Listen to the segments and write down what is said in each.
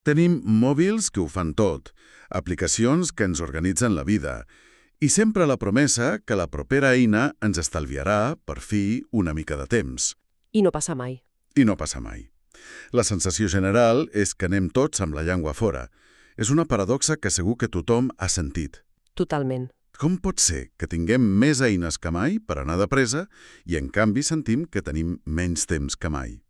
Tenim mòbils que ho fan tot, aplicacions que ens organitzen la vida, i sempre la promesa que la propera eina ens estalviarà, per fi, una mica de temps. I no passa mai. I no passa mai. La sensació general és que anem tots amb la llengua fora. És una paradoxa que segur que tothom ha sentit. Totalment. Com pot ser que tinguem més eines que mai per anar de pressa i, en canvi, sentim que tenim menys temps que mai?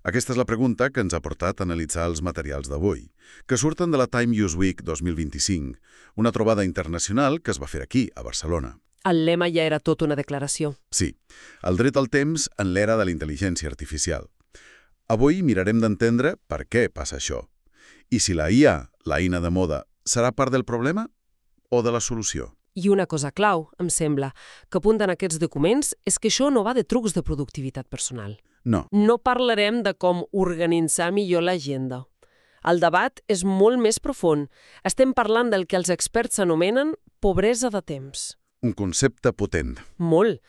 Aquesta és la pregunta que ens ha portat a analitzar els materials d'avui, que surten de la Time Use Week 2025, una trobada internacional que es va fer aquí, a Barcelona. El lema ja era tot una declaració. Sí, el dret al temps en l'era de la intel·ligència artificial. Avui mirarem d'entendre per què passa això. I si la IA, l'eina de moda, serà part del problema o de la solució? I una cosa clau, em sembla, que apunten aquests documents és que això no va de trucs de productivitat personal. No. No parlarem de com organitzar millor l'agenda. El debat és molt més profund. Estem parlant del que els experts anomenen pobresa de temps. Un concepte potent. Molt.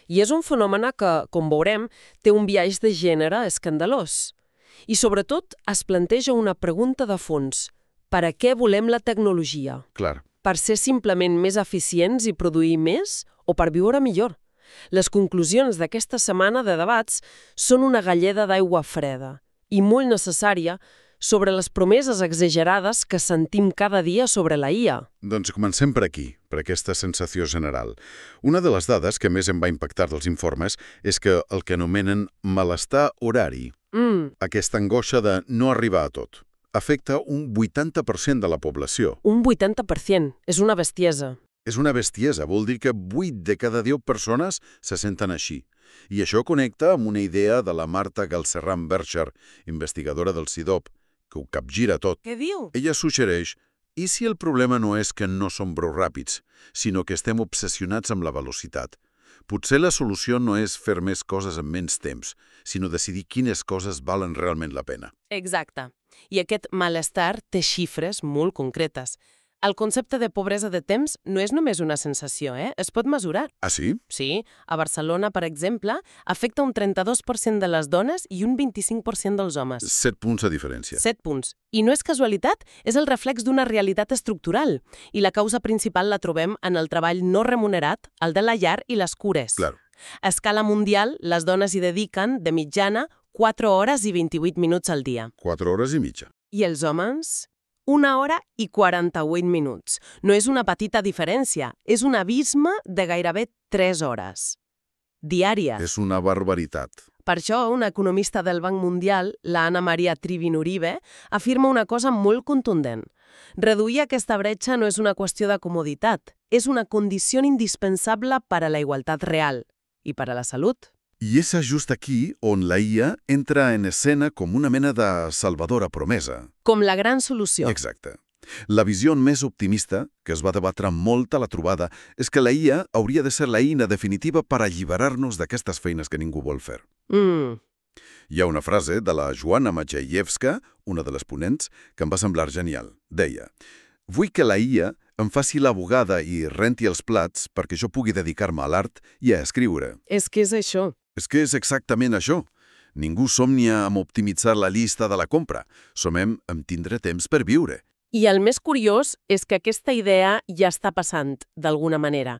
I és un fenomen que, com veurem, té un biaix de gènere escandalós. I sobretot es planteja una pregunta de fons. Per a què volem la tecnologia? Clar. Per ser simplement més eficients i produir més o per viure millor? Les conclusions d'aquesta setmana de debats són una galleda d'aigua freda i molt necessària sobre les promeses exagerades que sentim cada dia sobre la IA. Doncs comencem per aquí, per aquesta sensació general. Una de les dades que més em va impactar dels informes és que el que anomenen malestar horari, aquesta angoixa de no arribar a tot, afecta un 80% de la població. Un 80%. És una bestiesa. És una bestiesa, vol dir que 8 de cada 10 persones se senten així. I això connecta amb una idea de la Marta Galcerran-Bercher, investigadora del CIDOB, que ho capgira tot. Què diu? Ella suggereix, i si el problema no és que no som prou ràpids, sinó que estem obsessionats amb la velocitat? Potser la solució no és fer més coses en menys temps, sinó decidir quines coses valen realment la pena. Exacte. I aquest malestar té xifres molt concretes. El concepte de pobresa de temps no és només una sensació, es pot mesurar. Ah, sí? Sí, a Barcelona, per exemple, afecta un 32% de les dones i un 25% dels homes. 7 punts de diferència. 7 punts. I no és casualitat, és el reflex d'una realitat estructural. I la causa principal la trobem en el treball no remunerat, el de la llar i les cures. Claro. A escala mundial, les dones hi dediquen, de mitjana, 4 hores i 28 minuts al dia. 4 hores i mitja. I els homes? 1 hora i 48 minuts. No és una petita diferència, és un abisme de gairebé 3 hores. Diàries. És una barbaritat. Per això, una economista del Banc Mundial, la Ana Maria Trivin Uribe, afirma una cosa molt contundent. Reduir aquesta bretxa no és una qüestió de comoditat, és una condició indispensable per a la igualtat real i per a la salut. I és just aquí on la IA entra en escena com una mena de salvadora promesa. Com la gran solució. Exacte. La visió més optimista, que es va debatre molt a la trobada, és que la IA hauria de ser l'eina definitiva per alliberar-nos d'aquestes feines que ningú vol fer. Hi ha una frase de la Joanna Maciejewska, una de les ponents, que em va semblar genial. Deia: «Vull que la IA em faci la bugada i renti els plats perquè jo pugui dedicar-me a l'art i a escriure». És que és això. És que és exactament això. Ningú somnia amb optimitzar la llista de la compra. Somem amb tindre temps per viure. I el més curiós és que aquesta idea ja està passant, d'alguna manera.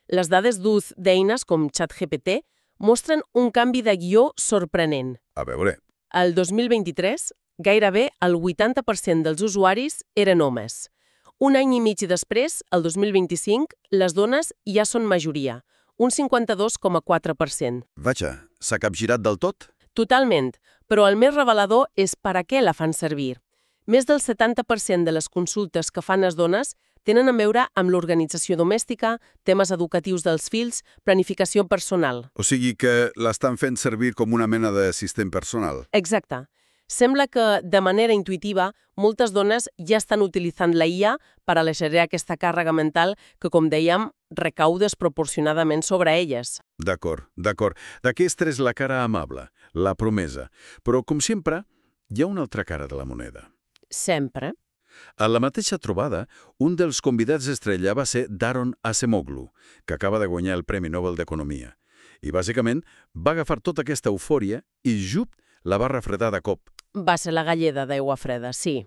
Les dades d'ús d'eines com ChatGPT mostren un canvi de guió sorprenent. A veure. El 2023, gairebé el 80% dels usuaris eren homes. Un any i mig després, el 2025, les dones ja són majoria, un 52,4%. Vaja, s'ha capgirat del tot? Totalment, però el més revelador és per a què la fan servir. Més del 70% de les consultes que fan les dones tenen a veure amb l'organització domèstica, temes educatius dels fills, planificació personal. O sigui que l'estan fent servir com una mena d'assistent personal. Exacte. Sembla que, de manera intuitiva, moltes dones ja estan utilitzant la IA per aligerar aquesta càrrega mental que, com dèiem, recau desproporcionadament sobre elles. D'acord, d'acord. D'aquesta és la cara amable, la promesa. Però, com sempre, hi ha una altra cara de la moneda. Sempre. A la mateixa trobada, un dels convidats estrella va ser Daron Acemoglu, que acaba de guanyar el Premi Nobel d'Economia. I, bàsicament, va agafar tota aquesta eufòria i, jup, la va refredar de cop. Va ser la galleda d'aigua freda, sí.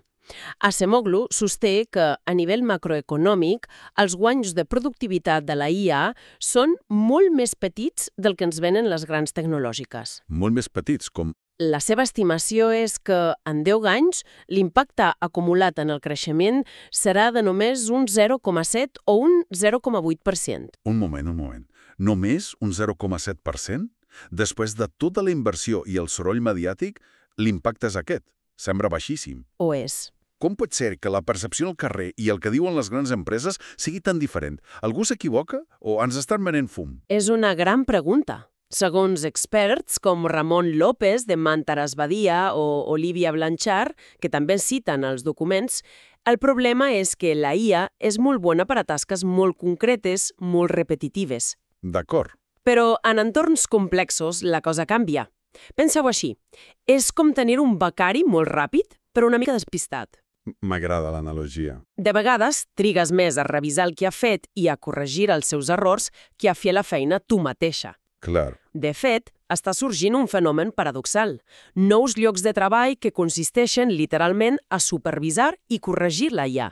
Acemoglu sosté que, a nivell macroeconòmic, els guanys de productivitat de la IA són molt més petits del que ens venen les grans tecnològiques. Molt més petits, com... La seva estimació és que, en 10 anys, l'impacte acumulat en el creixement serà de només un 0,7 o un 0,8%. Un moment. Només un 0,7%? Després de tota la inversió i el soroll mediàtic, l'impacte és aquest. Sembla baixíssim. O és. Com pot ser que la percepció al carrer i el que diuen les grans empreses sigui tan diferent? Algú s'equivoca o ens estan venent fum? És una gran pregunta. Segons experts com Ramon López de Mantaras Badia o Olivia Blanchard, que també citen els documents, el problema és que la IA és molt bona per a tasques molt concretes, molt repetitives. D'acord. Però en entorns complexos la cosa canvia. Penseu així, és com tenir un becari molt ràpid, però una mica despistat. M'agrada l'analogia. De vegades, trigues més a revisar el que ha fet i a corregir els seus errors que a fer la feina tu mateixa. Clar. De fet, està sorgint un fenomen paradoxal. Nous llocs de treball que consisteixen literalment a supervisar i corregir la IA.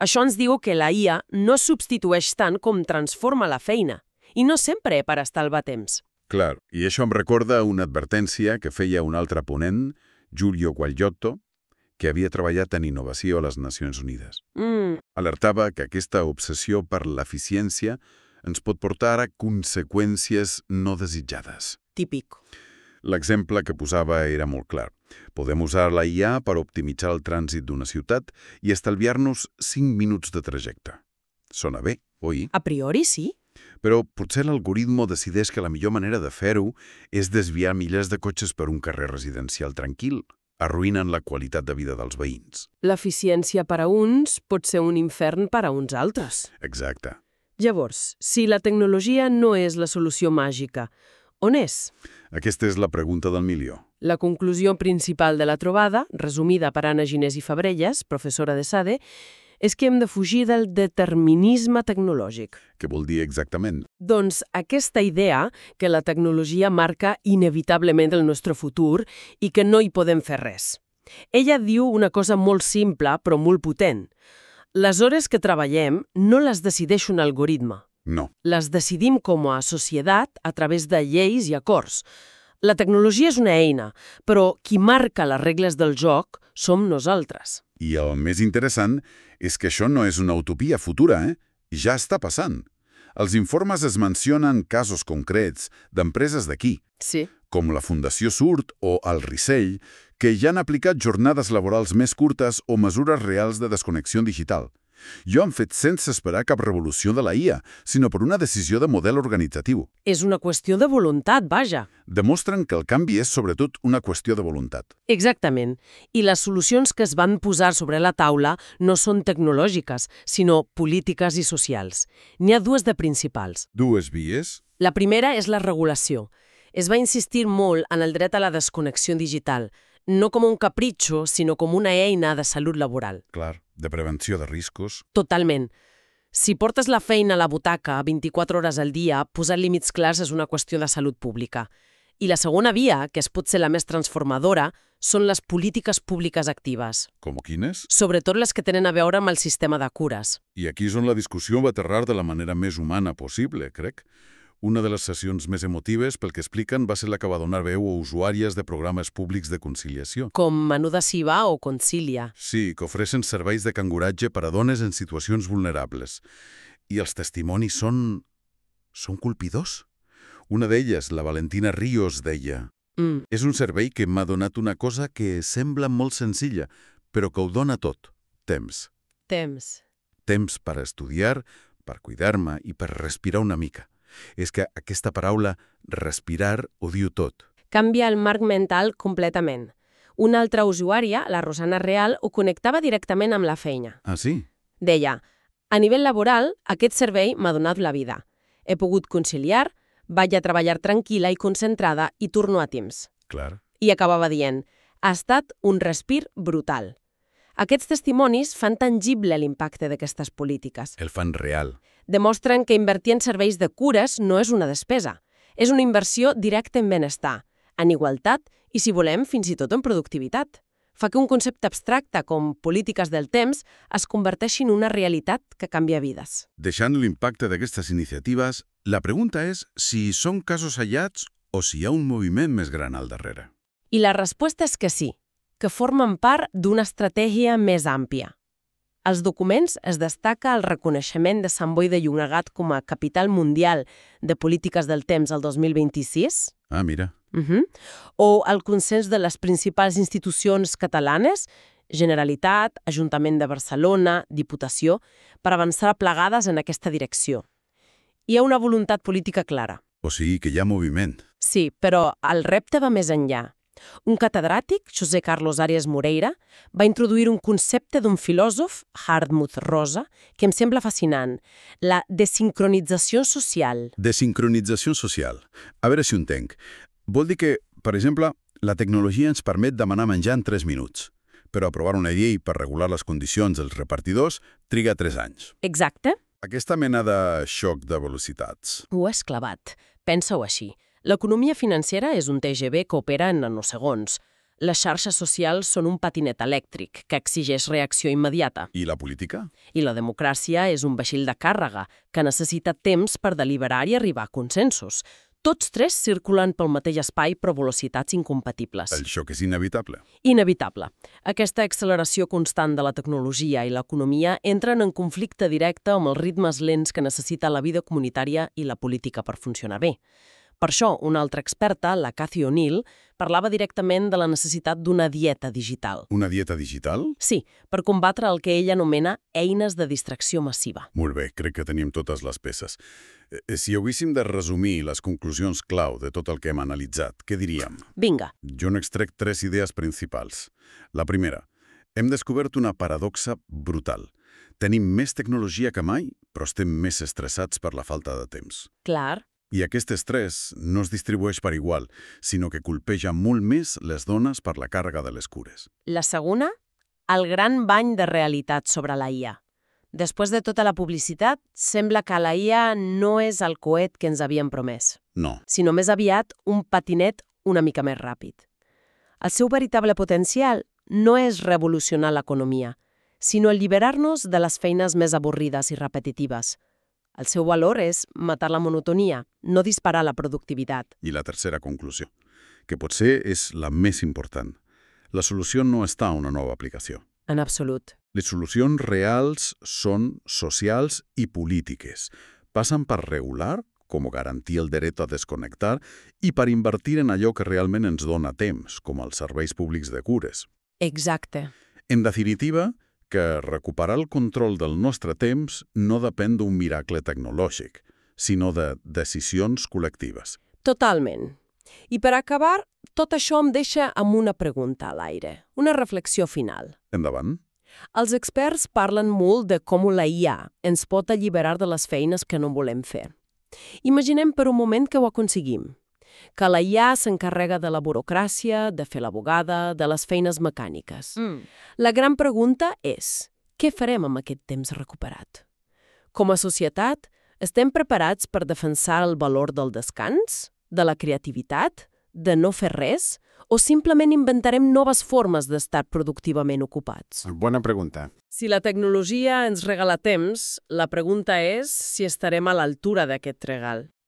Això ens diu que la IA no substitueix tant com transforma la feina, i no sempre per estalviar temps. Clar, i això em recorda una advertència que feia un altre ponent, Giulio Guagliotto, que havia treballat en innovació a les Nacions Unides. Alertava que aquesta obsessió per l'eficiència ens pot portar a conseqüències no desitjades. Típic. L'exemple que posava era molt clar. Podem usar la IA per optimitzar el trànsit d'una ciutat i estalviar-nos 5 minuts de trajecte. Sona bé, oi? A priori, sí. Però potser l'algoritmo decideix que la millor manera de fer-ho és desviar milers de cotxes per un carrer residencial tranquil, arruïnant la qualitat de vida dels veïns. L'eficiència per a uns pot ser un infern per a uns altres. Exacte. Llavors, si la tecnologia no és la solució màgica, on és? Aquesta és la pregunta del milió. La conclusió principal de la trobada, resumida per Anna Ginés i Fabrellas, professora de SADE, és que hem de fugir del determinisme tecnològic. Què vol dir exactament? Doncs aquesta idea que la tecnologia marca inevitablement el nostre futur i que no hi podem fer res. Ella diu una cosa molt simple però molt potent. Les hores que treballem no les decideix un algoritme. No. Les decidim com a societat a través de lleis i acords. La tecnologia és una eina, però qui marca les regles del joc som nosaltres. I el més interessant és que això no és una utopia futura, Ja està passant. Els informes es mencionen casos concrets d'empreses d'aquí, Sí. com la Fundació Surt o el Rissell, que ja han aplicat jornades laborals més curtes o mesures reals de desconnexió digital. I ho han fet sense esperar cap revolució de la IA, sinó per una decisió de model organitzatiu. És una qüestió de voluntat, vaja. Demostren que el canvi és sobretot una qüestió de voluntat. Exactament. I les solucions que es van posar sobre la taula no són tecnològiques, sinó polítiques i socials. N'hi ha dues de principals. Dues vies? La primera és la regulació. Es va insistir molt en el dret a la desconnexió digital, no com un capritxo, sinó com una eina de salut laboral. Clar, de prevenció de riscos. Totalment. Si portes la feina a la butaca 24 hores al dia, posar límits clars és una qüestió de salut pública. I la segona via, que es pot ser la més transformadora, són les polítiques públiques actives. Com quines? Sobretot les que tenen a veure amb el sistema de cures. I aquí és on la discussió va aterrar de la manera més humana possible, crec. Una de les sessions més emotives, pel que expliquen, va ser la que va donar veu a usuàries de programes públics de conciliació. Com Menuda Siva o Concilia. Sí, que ofereixen serveis de canguratge per a dones en situacions vulnerables. I els testimonis són colpidors. Una d'elles, la Valentina Ríos, deia: És un servei que m'ha donat una cosa que sembla molt senzilla, però que ho dona tot. Temps. Temps per estudiar, per cuidar-me i per respirar una mica. És que aquesta paraula, respirar, ho diu tot. Canvia el marc mental completament. Una altra usuària, la Rosana Real, ho connectava directament amb la feina. Ah, sí? Deia: a nivell laboral, aquest servei m'ha donat la vida. He pogut conciliar, vaig a treballar tranquil·la i concentrada i torno a temps. Clar. I acabava dient: ha estat un respir brutal. Aquests testimonis fan tangible l'impacte d'aquestes polítiques. El fan real. Demostren que invertir en serveis de cures no és una despesa. És una inversió directa en benestar, en igualtat I si volem, fins i tot en productivitat. Fa que un concepte abstracte com polítiques del temps es converteixi en una realitat que canvia vides. Deixant l'impacte d'aquestes iniciatives, la pregunta és si són casos aïllats o si hi ha un moviment més gran al darrere. I la resposta és que sí, que formen part d'una estratègia més àmplia. Als documents es destaca el reconeixement de Sant Boi de Llobregat com a capital mundial de polítiques del temps el 2026. Ah, mira. O el consens de les principals institucions catalanes, Generalitat, Ajuntament de Barcelona, Diputació, per avançar plegades en aquesta direcció. Hi ha una voluntat política clara. O sigui que hi ha moviment. Sí, però el repte va més enllà. Un catedràtic, José Carlos Arias Moreira, va introduir un concepte d'un filòsof, Hartmut Rosa, que em sembla fascinant, la desincronització social. Desincronització social. A veure si ho entenc. Vol dir que, per exemple, la tecnologia ens permet demanar menjar en 3 minuts, però aprovar una llei per regular les condicions dels repartidors triga 3 anys. Exacte. Aquesta mena de xoc de velocitats. Ho has clavat. Pensa-ho així. L'economia financera és un TGV que opera en nanosegons. Les xarxes socials són un patinet elèctric que exigeix reacció immediata. I la política? I la democràcia és un vaixell de càrrega que necessita temps per deliberar i arribar a consensos. Tots tres circulen pel mateix espai però velocitats incompatibles. El xoc és inevitable. Inevitable. Aquesta acceleració constant de la tecnologia i l'economia entren en conflicte directe amb els ritmes lents que necessita la vida comunitària i la política per funcionar bé. Per això, una altra experta, la Cathy O'Neill, parlava directament de la necessitat d'una dieta digital. Una dieta digital? Sí, per combatre el que ella anomena eines de distracció massiva. Molt bé, crec que tenim totes les peces. Si haguéssim de resumir les conclusions clau de tot el que hem analitzat, què diríem? Vinga. Jo n'extrec 3 idees principals. La primera, hem descobert una paradoxa brutal. Tenim més tecnologia que mai, però estem més estressats per la falta de temps. Clar. I aquest estrès no es distribueix per igual, sinó que colpeja molt més les dones per la càrrega de les cures. La segona, el gran bany de realitat sobre la IA. Després de tota la publicitat, sembla que la IA no és el coet que ens havien promès. No. Sinó més aviat un patinet una mica més ràpid. El seu veritable potencial no és revolucionar l'economia, sinó alliberar-nos de les feines més avorrides i repetitives. El seu valor és matar la monotonia, no disparar la productivitat. I la tercera conclusió, que potser és la més important. La solució no està a una nova aplicació. En absolut. Les solucions reals són socials i polítiques. Passen per regular, com garantir el dret a desconnectar, i per invertir en allò que realment ens dona temps, com els serveis públics de cures. Exacte. En definitiva, que recuperar el control del nostre temps no depèn d'un miracle tecnològic, sinó de decisions col·lectives. Totalment. I per acabar, tot això em deixa amb una pregunta a l'aire, una reflexió final. Endavant. Els experts parlen molt de com la IA ens pot alliberar de les feines que no volem fer. Imaginem per un moment que ho aconseguim. Que la IA s'encarrega de la burocràcia, de fer la bugada, de les feines mecàniques. La gran pregunta és, què farem amb aquest temps recuperat? Com a societat, estem preparats per defensar el valor del descans, de la creativitat, de no fer res, o simplement inventarem noves formes d'estar productivament ocupats? Bona pregunta. Si la tecnologia ens regala temps, la pregunta és si estarem a l'altura d'aquest regal.